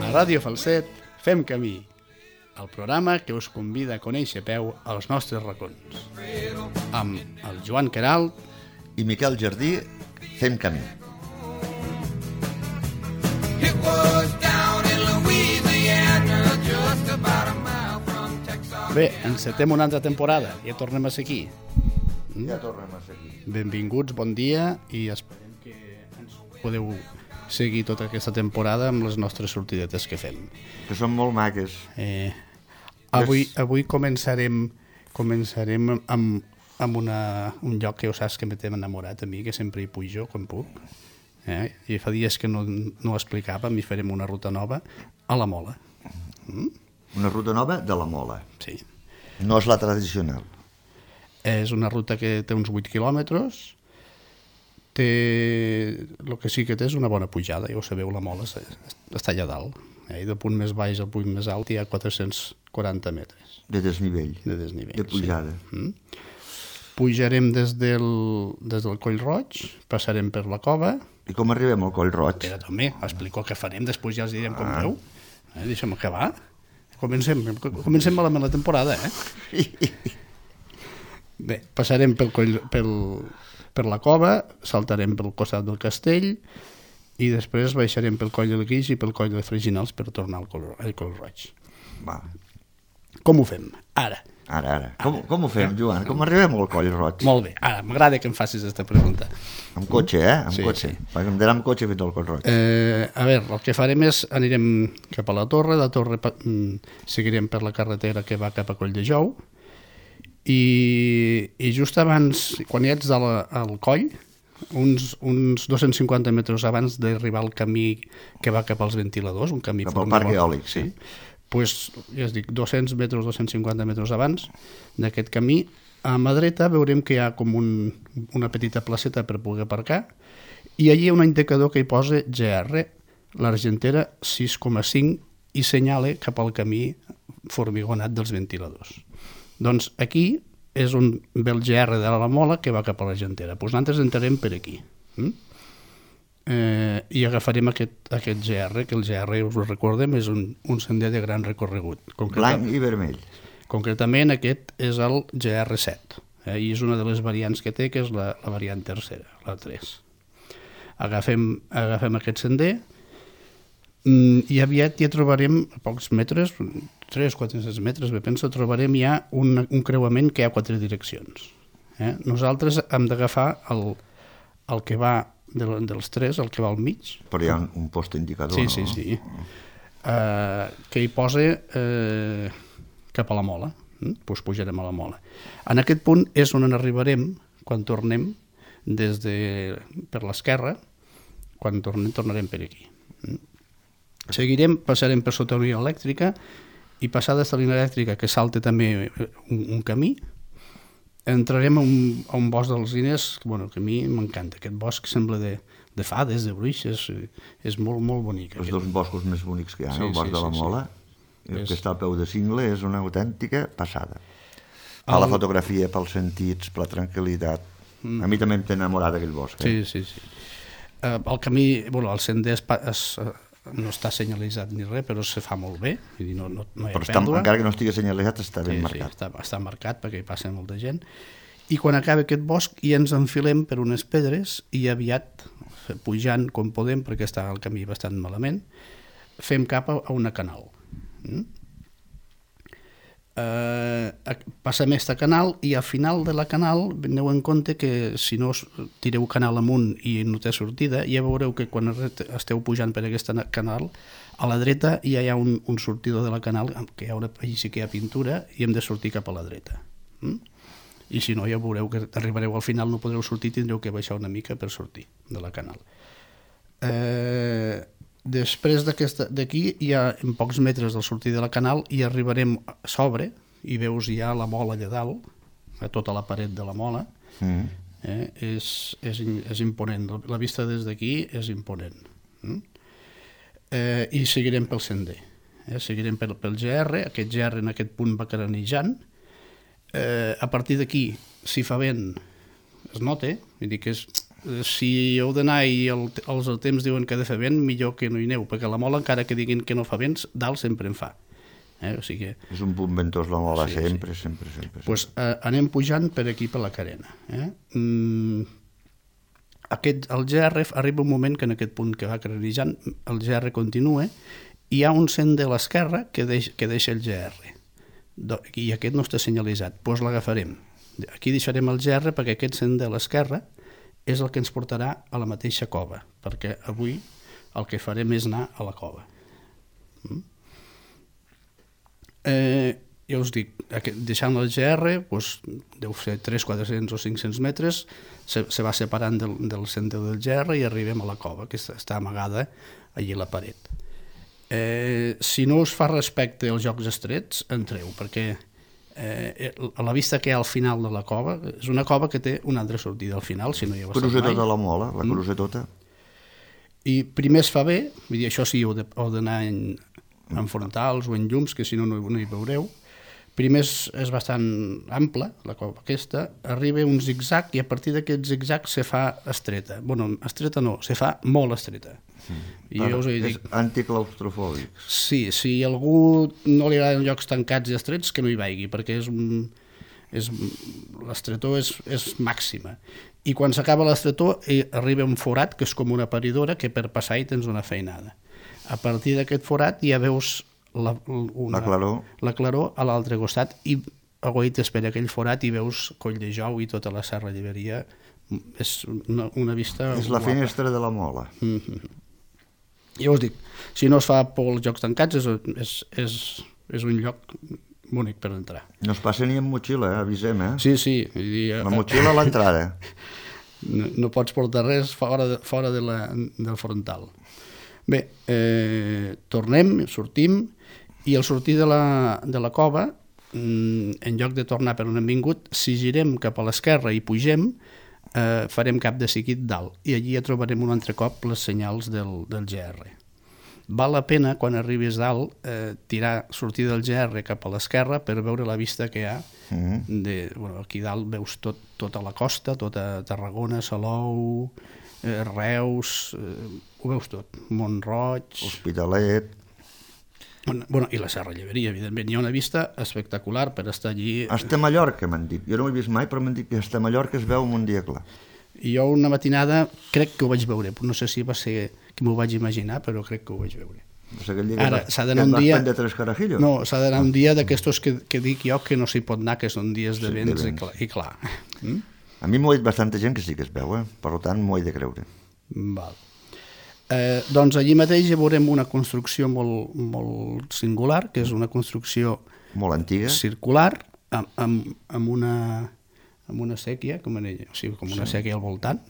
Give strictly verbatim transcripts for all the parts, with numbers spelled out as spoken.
A Ràdio Falset fem camí, el programa que us convida a conèixer a peu als nostres racons. Amb el Joan Queralt i Miquel Jardí fem camí. Bé, encetem una altra temporada, ja tornem a ser aquí. Ja tornem a ser aquí. Benvinguts, bon dia, i esperem que ens podeu seguir tota aquesta temporada amb les nostres sortidetes que fem. Que són molt maques. Eh, avui, avui començarem començarem amb, amb una, un lloc que ja saps que m'hem enamorat a mi, que sempre hi pujo quan puc. Eh? I fa dies que no, no ho explicàvem i farem una ruta nova a la Mola. Mm? Una ruta nova de la Mola. Sí. No és la tradicional. És una ruta que té uns vuit quilòmetres. Té... El que sí que té és una bona pujada, ja ho sabeu, la Mola està allà dalt. Eh? I del punt més baix al punt més alt hi ha quatre-cents quaranta metres. De desnivell. De desnivell, de pujada. Sí. Mm? Pujarem des del, des del Coll Roig, passarem per la cova. I com arribem al Coll Roig? Espera, també, explico què farem, després ja els direm com ah. feu. Eh, deixa'm acabar. Comencem, comencem malament la temporada, eh? Bé, passarem pel coll, pel, per la cova, saltarem pel costat del castell i després baixarem pel coll del Guix i pel coll de Freginals per tornar al Coll, al Coll Roig. Va. Com ho fem? Ara. Ara, ara. Com, com ho fem, Joan? Com arribem al Coll Roig? Molt bé. Ara, m'agrada que em facis aquesta pregunta. Amb cotxe, eh? Amb sí, cotxe. Sí. Perquè em dirà amb cotxe fins al Coll Roig. Eh, a veure, el que farem és, anirem cap a la torre, la torre seguirem per la carretera que va cap a Coll de Jou i, i just abans, quan hi ets al, al coll, uns, uns dos-cents cinquanta metres abans d'arribar al camí que va cap als ventiladors, un camí... Cap al parc eòlic, sí. Pues, ja es dic, dos-cents metres, dos-cents cinquanta metres abans d'aquest camí, a mà dreta veurem que hi ha com un, una petita placeta per poder aparcar i allí hi ha un indicador que hi posa G R, l'Argentera sis coma cinc, i senyala cap al camí formigonat dels ventiladors. Doncs aquí és on ve el G R de la Mola que va cap a l'Argentera. Doncs nosaltres entrarem per aquí. Mm? Eh, i agafarem aquest, aquest G R, que el G R, us ho recordem, és un, un sender de gran recorregut. Blanc i vermell. Concretament aquest és el G R set, eh, i és una de les variants que té, que és la, la variant tercera, la tres. Agafem, agafem aquest sender mm, i aviat ja trobarem, a pocs metres, tres o quatre metres, bé penso, trobarem ja un, un creuament que hi ha quatre direccions. Eh? Nosaltres hem d'agafar el, el que va de, dels tres, el que va al mig. Però hi ha un, un post indicador, sí, no? Sí, sí, sí. Uh, que hi posa eh, cap a la Mola. Mm? Pues pujarem a la Mola. En aquest punt és on arribarem quan tornem des de, per l'esquerra, quan tornem, tornarem per aquí. Mm? Seguirem, passarem per sota la línia elèctrica i passada aquesta línia elèctrica que salta també un, un camí, entrarem a un, a un bosc d'alzines, bueno, que a mi m'encanta. Aquest bosc sembla de, de fades, de bruixes, és molt, molt bonic. Els dos boscos més bonics que hi ha, sí, el bosc sí, de la sí, Mola, sí. El és... que està al peu de cingle, és una autèntica passada. Per el... la fotografia, pels sentits, per la tranquil·litat. Mm. A mi també em té enamorat aquell bosc. Eh? Sí, sí, sí. Uh, el camí, bueno, el sender es, es, no està senyalitzat ni res, però se fa molt bé, vull dir, no, no, no hi ha però està, pèrdua. Encara que no estigui senyalitzat està ben sí, marcat. Sí, està, està marcat perquè hi passa molta gent. I quan acaba aquest bosc i ens enfilem per unes pedres i aviat, pujant com podem, perquè està el camí bastant malament, fem cap a una canal. Mm? Eh, passem aquesta canal i al final de la canal aneu en compte que si no tireu canal amunt i no té sortida, ja veureu que quan esteu pujant per aquesta canal, a la dreta ja hi ha un, un sortidor de la canal, que hi ha una, allà sí que hi ha pintura i hem de sortir cap a la dreta. Mm? I si no ja veureu que arribareu al final, no podreu sortir, tindreu que baixar una mica per sortir de la canal. Eh, després d'aquí hi ha en pocs metres del sortir de la canal i arribarem a sobre i veus ja la Mola allà dalt, a tota la paret de la Mola. Mm. eh, és, és, és imponent, la vista des d'aquí és imponent. Mm? Eh, i seguirem pel sender, eh, seguirem pel, pel G R, aquest G R en aquest punt va caranejant. Eh, a partir d'aquí, si fa vent, es nota, vull dir que és, si heu d'anar i el, els temps diuen que ha de fer vent, millor que no hi aneu, perquè la mola, encara que diguin que no fa vents, dalt sempre en fa. Eh? O sigui, és un punt ventós la mola, sí, sempre, sí. sempre, sempre. Pues, eh, anem pujant per aquí, per la carena. Eh? Mm, aquest, el G R arriba un moment que en aquest punt que va carrerejant, el G R continua, hi ha un sender a l'esquerra que, deix, que deixa el G R. Do, i aquest no està senyalitzat, doncs l'agafarem. Aquí deixarem el G R perquè aquest sender a l'esquerra és el que ens portarà a la mateixa cova, perquè avui el que farem és anar a la cova. Mm? Eh, ja us dic, deixant el G R, doncs, deu ser tres, quatre-cents o cinc-cents metres, se, se va separant del, del centre del G R i arribem a la cova, que està amagada allí a la paret. Eh, si no us fa respecte als jocs estrets, entreu, perquè eh, a la vista que hi ha al final de la cova, és una cova que té una altra sortida al final, si no hi heu estat mai. Cruza tota la mola, la cruza mm. tota. I primer es fa bé, vull dir, això sí, heu d'anar en, en frontals o en llums, que si no no, no hi veureu. Primer és, és bastant ample, la cova aquesta, arriba un zigzag i a partir d'aquest zigzag se fa estreta. Bueno, estreta no, se fa molt estreta. Mm. I jo us he dit... És anticlaustrofòbic. Sí, si a algú no li agraden llocs tancats i estrets, que no hi vagi, perquè és, és, l'estretor és, és màxima. I quan s'acaba l'estretor arriba un forat, que és com una paridora, que per passar hi tens una feinada. A partir d'aquest forat ja veus la, una, la claror, la claror a l'altre costat i aguaites per aquell forat i veus Coll de Jou i tota la Serra Lleberia. És una, una vista és la guapa. finestra de la mola. Mm-hmm. Ja us dic, si no es fa por als jocs tancats és, és, és, és un lloc bonic per entrar. No es passa ni amb motxilla, eh? Avisem, eh? Sí, sí. Vull dir, la motxilla a l'entrada. No, no pots portar res fora, de, fora de la, del frontal. Bé, eh, tornem, sortim, i al sortir de la, de la cova, en lloc de tornar per on hem vingut, si girem cap a l'esquerra i pugem, eh, farem cap de seguit dalt, i allí ja trobarem un altre cop les senyals del, del G R. Val la pena, quan arribis dalt, eh, tirar, sortir del G R cap a l'esquerra per veure la vista que hi ha. Mm-hmm. de, bueno, aquí dalt veus tot, tota la costa, tota Tarragona, Salou, eh, Reus, eh, ho veus tot, Mont-roig, Hospitalet. Bueno, i la Serra Lleberia, evidentment. Hi ha una vista espectacular per estar allí. Hasta Mallorca, m'han dit. Jo no ho he vist mai, però m'han dit que hasta Mallorca es veu un dia clar. I jo una matinada crec que ho vaig veure. No sé si va ser que m'ho vaig imaginar, però crec que ho vaig veure. O sigui, ara, s'ha d'anar un dia... de tres carajillos? No, s'ha d'anar un dia d'aquestos que, que dic jo que no s'hi pot anar, que són dies de sí, vents, de vents. I clar. I clar. Mm? A mi m'ho ha dit bastanta gent que sí que es veu, eh? Per tant m'ho he de creure. Val. Eh, doncs allí mateix ja veurem una construcció molt, molt singular, que és una construcció molt antiga, circular, amb, amb, amb, una, amb una sèquia, com, en ella, o sigui, com una sí. sèquia al voltant,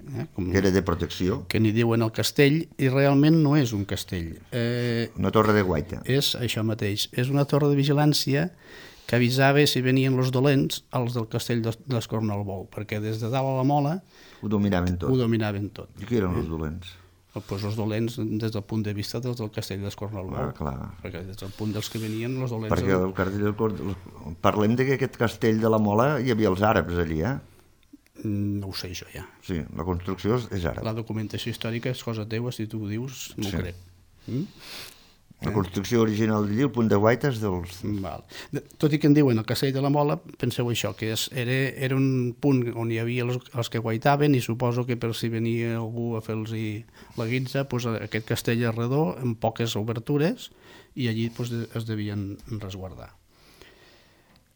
eh, com, que era de protecció, que n'hi diuen el castell, i realment no és un castell. Eh, una torre de guaita. És això mateix, és una torre de vigilància que avisava si venien els dolents als del castell d'Escornalbou, perquè des de dalt a la mola ho dominaven tot. Ho dominaven tot. I qui eren els dolents? Pues els dolents des del punt de vista dels del castell d'Escornalbou. Ah, clar. Perquè des del punt dels que venien els dolents... Perquè el castell, parlem de que aquest castell de la Mola hi havia els àrabs allí, eh? No ho sé jo ja. Sí, la construcció és àrab. La documentació històrica és cosa teva, si tu ho dius, no sí. ho crec. Mm? La construcció original d'allí, el punt de guaita és dels... Val. Tot i que en diuen el castell de la Mola, penseu això, que és, era, era un punt on hi havia els, els que guaitaven i suposo que per si venia algú a fer-los la guitza, doncs aquest castell és redó, amb poques obertures, i allí doncs, es devien resguardar.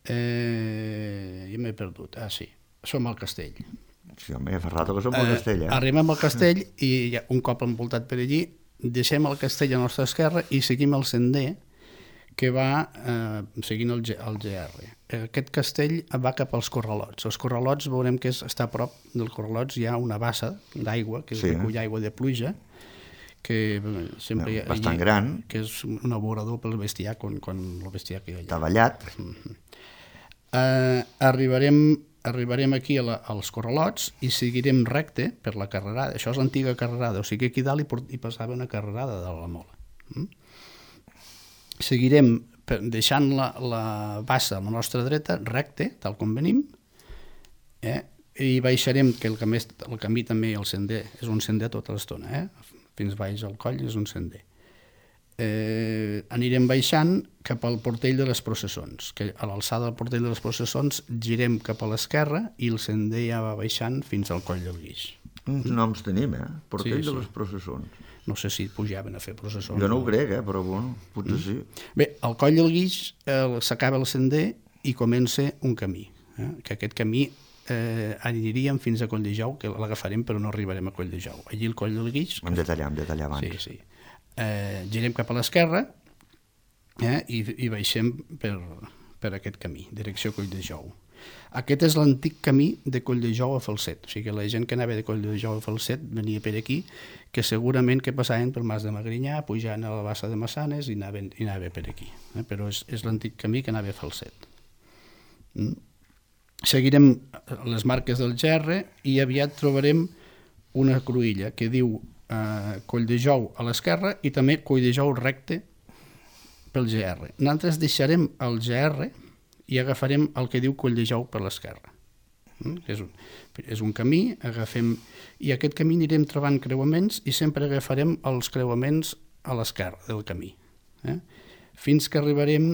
Eh, ja m'he perdut. Ah, sí, som al castell. Sí, home, fa rato que som al castell, eh? Arribem al castell i ja, un cop envoltat per allí, deixem el castell a la nostra esquerra i seguim el sender que va eh, seguint el, G, el G R. Aquest castell va cap als Corralots. Els Corralots veurem que és, està a prop del Corralots, hi ha una bassa d'aigua, que és sí. recull aigua de pluja, que sempre hi ha, bastant allí, gran, que és un aborador pel bestiar, quan, quan el bestiar que hi ha allà. Està ballat. Mm-hmm. eh, arribarem arribarem aquí a la, als Corralots i seguirem recte per la carrerada. Això és l'antiga carrerada, o sigui que aquí dalt hi, port, hi passava una carrerada de la Mola. Mm? Seguirem per, deixant la, la bassa a la nostra dreta, recte, tal com venim, eh? i baixarem, que el camí, el camí també, el sender, és un sender tota l'estona, eh? Fins baix al coll és un sender. Eh, anirem baixant cap al portell de les processons, que a l'alçada del portell de les processons girem cap a l'esquerra i el sender ja va baixant fins al coll del Guix. Uns noms tenim, eh? Portell Sí, de sí. les processons. No sé si pujaven a fer processons. Jo no ho crec, eh? Però bueno, potser sí. Bé, al coll del Guix eh, s'acaba el sender i comença un camí, eh? Que aquest camí eh, aniríem fins a Colldejou, que l'agafarem però no arribarem a Colldejou. Allí el coll del Guix... Hem de tallar, hem de tallar abans. Sí, sí. Eh, girem cap a l'esquerra eh, i, i baixem per, per aquest camí, direcció Colldejou. Aquest és l'antic camí de Colldejou a Falset, o sigui que la gent que anava de Colldejou a Falset venia per aquí, que segurament que passaven per Mas de Magrinyà, pujant a la Bassa de Massanes i anaven, i anava per aquí, eh? Però és, és l'antic camí que anava a Falset. Mm? Seguirem les marques del G R i aviat trobarem una cruïlla que diu eh, Colldejou a l'esquerra i també Colldejou recte pel G R. Nosaltres deixarem el G R i agafarem el que diu Colldejou per l'esquerra. Mm? És, un, és un camí, agafem... I aquest camí anirem trobant creuaments i sempre agafarem els creuaments a l'esquerra del camí. Eh? Fins que arribarem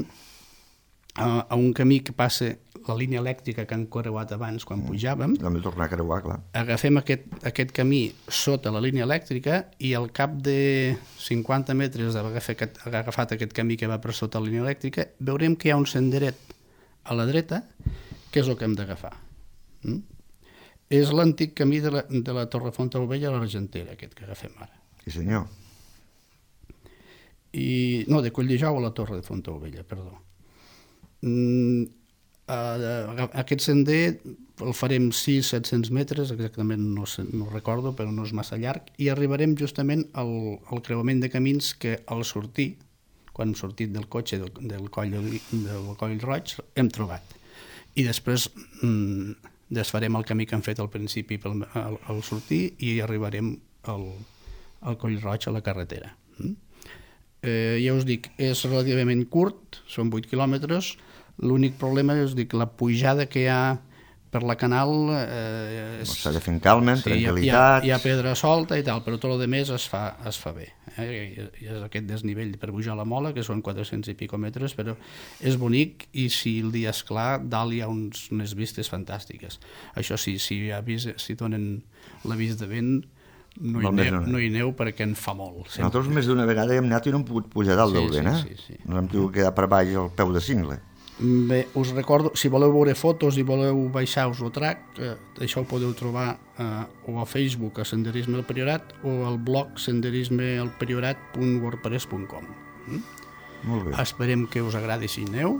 a, a un camí que passa la línia elèctrica que han creuat abans quan pujàvem. Hem de tornar a creuar, clar. Agafem aquest, aquest camí sota la línia elèctrica i al cap de cinquanta metres d'haver agafat, agafat aquest camí que va per sota la línia elèctrica, veurem que hi ha un senderet a la dreta, que és el que hem d'agafar. Mm? És l'antic camí de la, de la Torre Fontaubella a l'Argentera, aquest que agafem ara. Sí, senyor. I, no, de Colldejou a la Torre de Fontaubella, perdó. Mm, Uh, aquest sender el farem sis a set-cents metres, exactament no, sé, no recordo, però no és massa llarg, i arribarem justament al, al creuament de camins que al sortir, quan hem sortit del cotxe del, del, coll, del coll Roig, hem trobat. I després mm, desfarem el camí que hem fet al principi pel, al, al sortir i arribarem al, al coll Roig a la carretera. Mm? Eh, ja us dic, és relativament curt, són vuit quilòmetres. L'únic problema és dir, que la pujada que hi ha per la canal... Eh, és... S'ha de fer en calma, en sí, tranquil·litat... Hi ha, hi ha pedra solta i tal, però tot el de més es fa, es fa bé. Eh? I, I és aquest desnivell per pujar la Mola, que són quatre-cents i pico metres, però és bonic i si el dia és clar, dalt hi ha uns, unes vistes fantàstiques. Això sí, si, avís, si donen l'avís de vent, no hi, neu, no hi neu perquè en fa molt. Sempre. Nosaltres més d'una vegada hem anat i no hem pogut pujar dalt sí, del vent, sí, eh? Sí, sí. No hem tingut quedar per baix al peu de cingle. Bé, us recordo, si voleu veure fotos i voleu baixar-vos el track, eh, això ho podeu trobar eh, o a Facebook a Senderisme al Priorat o al blog senderismealpriorat punt wordpress punt com. Mm? Molt bé. Esperem que us agradi si aneu.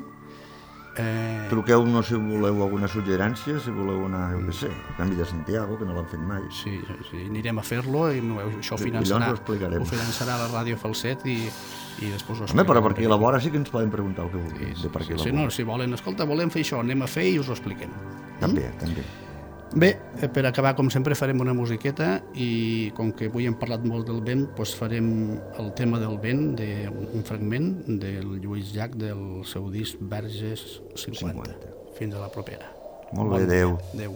Eh... Truqueu-nos si voleu alguna suggerència, si voleu anar, jo què sé, el Camí de Santiago, que no l'han fet mai. Sí, sí, anirem a fer-lo i no, això ho finançarà, ho, ho finançarà la Ràdio Falset i, i després ho explicarem. Home, però per aquí a la vora sí que ens poden preguntar el que vulguin. Sí, sí, per aquí sí, sí, no, si volen, escolta, volem fer això, anem a fer i us ho expliquem. També, mm? també. Bé, per acabar, com sempre, farem una musiqueta i com que avui hem parlat molt del vent, doncs farem el tema del vent, de, un fragment del Lluís Llach del seu disc Verges cinquanta. cinquanta. Fins a la propera. Molt bé, adéu. Adéu.